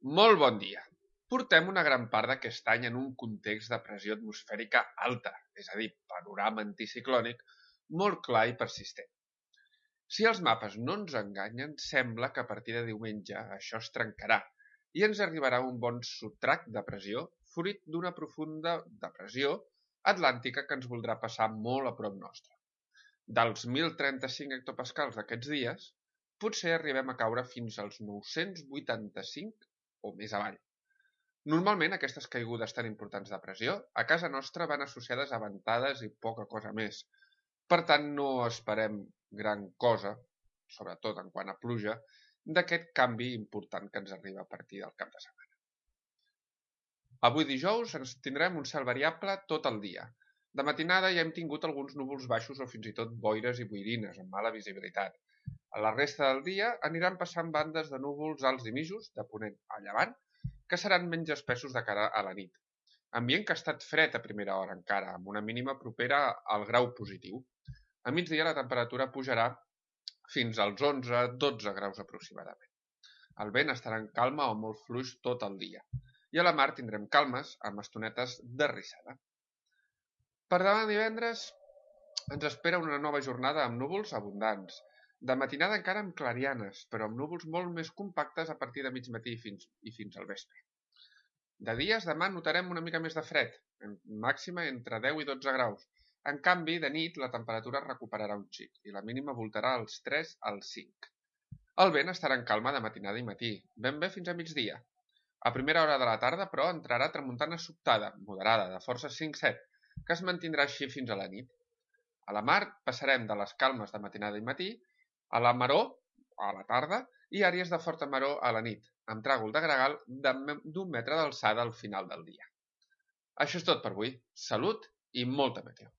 Molt bon dia. Portem una gran part d'aquest any en un context de pressió atmosfèrica alta, és a dir, panorama anticiclònic, molt clar i persistent. Si els mapes no ens enganyen, sembla que a partir de diumenge això es trencarà i ens arribarà un bon sotrac de pressió fruit d'una profunda depressió atlàntica que ens voldrà passar molt a prop nostre. Dels 1.035 hectopascals d'aquests dies, potser arribem a caure fins als 985 o més avall. Normalment aquestes caigudes tan importants de pressió a casa nostra van associades a ventades i poca cosa més. Per tant, no esperem gran cosa, sobretot en quant a pluja, d'aquest canvi important que ens arriba a partir del cap de setmana. Avui dijous ens tindrem un cel variable tot el dia. De matinada ja hem tingut alguns núvols baixos o fins i tot boires i boirines amb mala visibilitat. A la resta del dia aniran passant bandes de núvols alts i mitjos, de ponent a llevant, que seran menys espessos de cara a la nit. Ambient que ha estat fred a primera hora encara, amb una mínima propera al grau positiu. A migdia la temperatura pujarà fins als 11-12 graus aproximadament. El vent estarà en calma o molt fluix tot el dia. I a la mar tindrem calmes amb estonetes de rissada. Per demà divendres ens espera una nova jornada amb núvols abundants. De matinada encara amb clarianes, però amb núvols molt més compactes a partir de mig matí i fins al vespre. De dies demà notarem una mica més de fred, màxima entre 10 i 12 graus. En canvi, de nit la temperatura recuperarà un xic i la mínima voltarà als 3 als 5. El vent estarà en calma de matinada i matí, ben bé fins a migdia. A primera hora de la tarda, però, entrarà tramuntana sobtada, moderada, de força 5-7, que es mantindrà així fins a la nit. A la mar passarem de les calmes de matinada i matí a la maror a la tarda i àrees de forta maror a la nit, amb tràgol de gregal d'1 metre d'alçada al final del dia. Això és tot per avui. Salut i molta meteo.